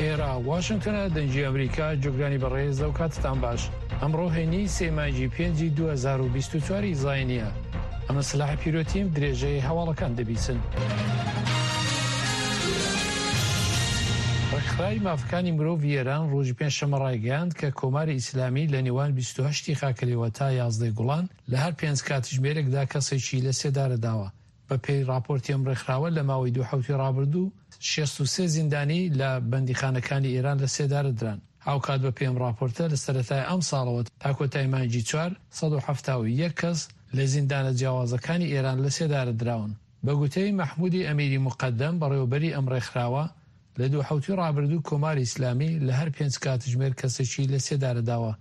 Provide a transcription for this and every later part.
ئێرە واشنگتنە دەنگی ئەمریکا جوگرانی بەڕێز لەو کاتتان باش ئەمڕۆ هەینی سێ مانگی پێنجی 2024 ی زاینیە ئەمە سلاح پیرۆتیم درێژەی هەواڵەکان دەبیسن. ڕێکخراوی مافەکانی مرۆڤی ئێران ڕۆژی پێنجشەممە ڕایگەیاند کە کۆماری ئیسلامی لە نێوان 28 ی خاکەلێوە تا 11 گوڵان لە هەر پێنج کاتژمێرێکدا کەسێکی لە سێدارە داوە. بە پێی ڕاپۆرتی ئەم ڕێکخراوە لە ماوەی دوو حەوتووی ڕابردوو 63 زیندانی لە بەندیخانەکانی ئێران لە سێدارە دران. هاوکات بە پێی ئەم ڕاپۆرتە لە سەرەتای ئەمساڵەوە تا کۆتای مانگی چوار، 171 کەس لە زیندانە جیاوازەکانی ئێران لە سێدارە دراون. بە گوتەی مەحموودی ئەمیری موقەدەم بەڕێوەبەری ئەم ڕێکخراوە، لە دوو حەوتووی ڕابردوو کۆماری ئیسلامی لە هەر پێنج کاتژمێر کەسێکی لە سێدارە داوە.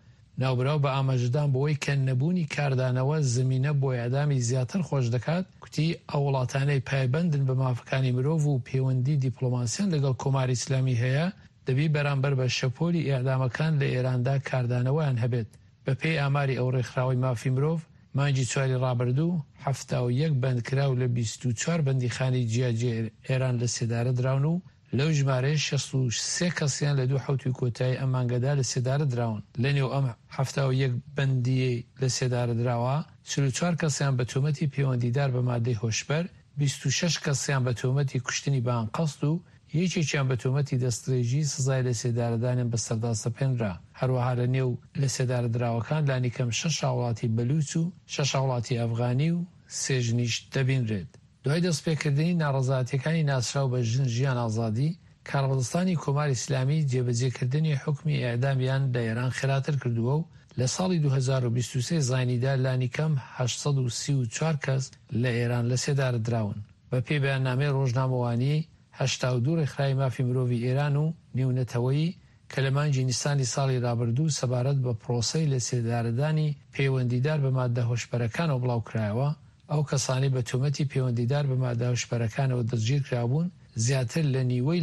ناوبراو بە ئاماژەدان بەوەی کە نەبوونی کاردانەوە زمینە بۆ ئێعدامی زیاتر خۆش دەکات، کوتی، ئەو وڵاتانەی پایبەندن بە مافەکانی مرۆڤ و پێوەندی دیپڵۆماسیان لەگەڵ کۆماری ئیسلامی هەیە، دەبی بەرامبەر بە شەپۆلی ئێعدامەکان لە ئێراندا کاردانەوەیان هەبێت. بە پێی ئاماری ئەو ڕێکخراوەی مافی مرۆڤ، مانگی چواری ڕابردوو، 71 بەندکراو لە 24 بەندیخانەی جیاجیای ئێران لە سێدارە دراون و لەو ژمارەیە 63 کەسیان لە دوو حەوتووی کۆتایی ئەم مانگەدا لە سێدارە دراون. لە نێو ئەم 71 بەندییەی لە سێدارە دراوە، 44 کەسیان بە تۆمەتی پەیوەندیدار بە مادەی هۆشبەر، 26 کەسیان بە تۆمەتی کوشتنی بە ئەنقەست و یەکێکیان بە تۆمەتی دەستدرێژی سزای لەسێدارەدانیان بەسەردا سەپێنرا. هەروەها لە نێو لەسێدارەدراوەکان لانیکەم شەش هاوڵاتی بەلوچ و شەش هاوڵاتی ئەفغانی و سێ ژنیش دەبینرێت. دوای دەستپێکردنی ناڕەزایەتیەکانی ناسراو بە ژن ژیان ئازادی، کاربەدەستانی کۆماری ئیسلامی جێبەجێکردنی حوکمی ئێعدامیان لە ئێران خێراتر کردووە و لە ساڵی 2023 زاینیدا لانیکەم 834 کەس لە ئێران لەسێدارە دراون. بە پێی بەیاننامەی ڕۆژنامەوانیی 82 ڕێکخراوی مافی مرۆڤی ئێران و نێونەتەوەیی کە لە مانگی نیسانی ساڵی رابردوو سەبارەت بە پرۆسەی لەسێدارەدانی پەیوەندیدار بە ماددە هۆشبەرەکانەوە بڵاوکرایەوە، ئەو کەسانەی بە تۆمەتی پەیوەندیدار بە ماددە هۆشبەرەکانەوە دەستگیرکرابوون زیاتر لە نیوەی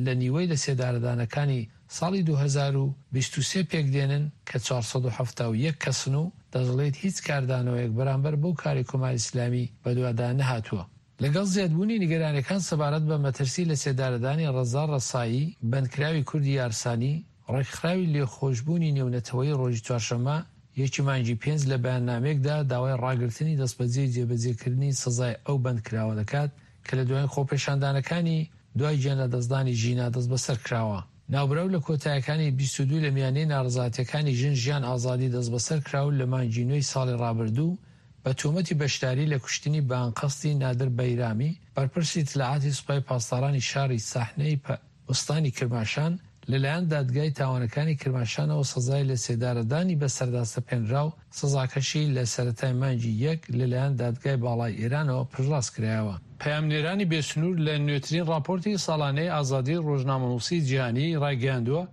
لە نیوەی لەسێدارەدانەکانی ساڵی 2023 پێکدێنن کە 471 کەسن و دەشڵێت هیچ کاردانەوەیەک بەرامبەر بەو کارەی کۆماری ئیسلامی بەدوادا نەهاتووە. لەگەڵ زیادبوونی نیگەرانیەکان سەبارەت بە مەترسی لەسێدارەدانی ڕەزا ڕەسایی، بەندکراوی کوردی یارسانی، ڕێکخراوی لێخۆشبوونی نێونەتەوەیی ڕۆژی چوارشەممە یەکی مانگی پێنج لە بەیاننامەیەکدا داوای ڕاگرتنی دەستبەجێی جێبەجێکردنی سزای ئەو بەندکراوە دەکات کە لە دوایین خۆپێشاندانەکانی دوای گیانلەدەستدانی ژینا دەستبەسەر کراوە. ناوبراو لە کۆتایەکانی 22 لە میانەی ناڕەزایەتیەکانی ژن ژیان ئازادی دەستبەسەر کرا و لە مانگی نۆی ساڵی ڕابردوو بە تۆمەتی بەشداری لە کوشتنی بە ئەنقەستی نادر بەیرامی، بەرپرسی ئیتلاعاتی سوپای پاسدارانی شاری سەحنەی ئوستانی کرماشان، لەلایەن دادگای تاوانەکانی کرماشانەوە سزای لەسێدارەدانی بەسەردا سەپێنرا و سزاکەشی لە سەرەتای مانگی یەک لەلایەن دادگای باڵای ئێرانەوە پشتڕاست کرایەوە. پەیامنێرانی بێسنوور لە نوێترین ڕاپۆرتی ساڵانەی ئازادیی ڕۆژنامەنووسیی جیهانی ڕایگەیاندووە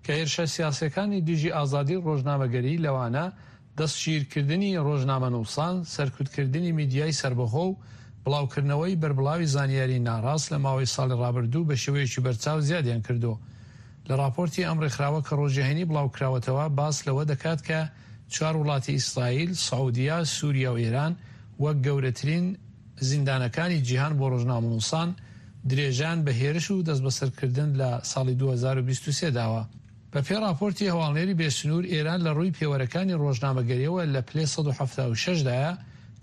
کە هێرشە سیاسییەکانی دژی ئازادیی ڕۆژنامەگەری لەوانە دەستگیرکردنی ڕۆژنامەنووسان، سەرکوتکردنی میدیای سەربەخۆ و بڵاوکردنەوەی بەربڵاوی زانیاری ناڕاست لە ماوەی ساڵی ڕابردوو بە شێوەیەکی بەرچاو زیادیان کردووە. لە ڕاپۆرتی ئەم ڕێکخراوە کە ڕۆژی هەینی بڵاوکراوەتەوە باس لەوە دەکات کە چوار وڵاتی ئیسرائیل، سعودیە، سوریا و ئێران وەک گەورەترین زیندانەکانی جیهان بۆ ڕۆژنامەنووسان درێژەیان بە هێرش و دەستبەسەرکردن لە ساڵی 2023 داوە. بە پێی ڕاپۆرتی هەواڵنێری بێ سنوور، ئێران لە ڕووی پێوەرەکانی ڕۆژنامەگەرییەوە لە پلەی 176 دایە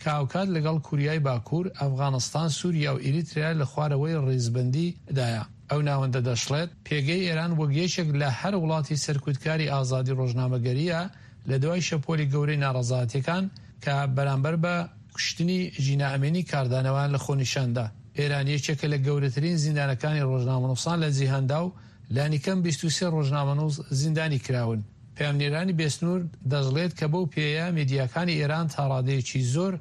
کە هاوکات لەگەڵ کوریای باکوور، ئەفغانستان، سوریا و ئیریتریا لە خوارەوەی ڕیزبەندی دایە. ئەو ناوەندە دەشڵێت، پێگەی ئێران وەک یەکێک لە هەر وڵاتی سەرکوتکاری ئازادی ڕۆژنامەگەرییە لە دوای شەپۆلی گەورەی ناڕەزایەتیەکان کە بەرامبەر بە کوشتنی ژینا ئەمینی کاردانەوەیان لە خۆ نیشان دا. ئێران یەکێکە لە گەورەترین زیندانەکانی ڕۆژنامەنووسان لە جیهاندا و لانیکەم 23 ڕۆژنامەنووس زیندانی کراون. پەیامنێرانی بێسنوور دەشڵێت کە بەو پێیە میدیاکانی ئێران تا ڕادەیەکی زۆر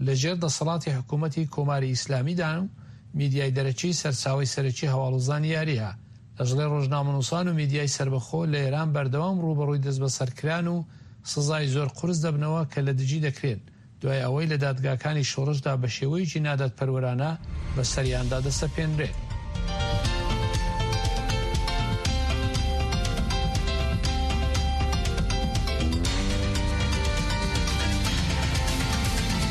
لە ژێر دەسەڵاتی حکوومەتی کۆماری ئیسلامیدان و میدیای دەرەکی سەرچاوەی سەرەکی هەواڵ و زانیارییە. دەشڵێ ڕۆژنامەنووسان و میدیای سەربەخۆ لە ئێران بەردەوام ڕووبەڕووی دەستبەسەرکران و سزای زۆر قورس دەبنەوە کە لە دژی دەکرێن دوای ئەوەی لە دادگاکانی شۆڕشدا بە شێوەیەکی نادادپەروەرانە بەسەریاندا دەسەپێنرێت.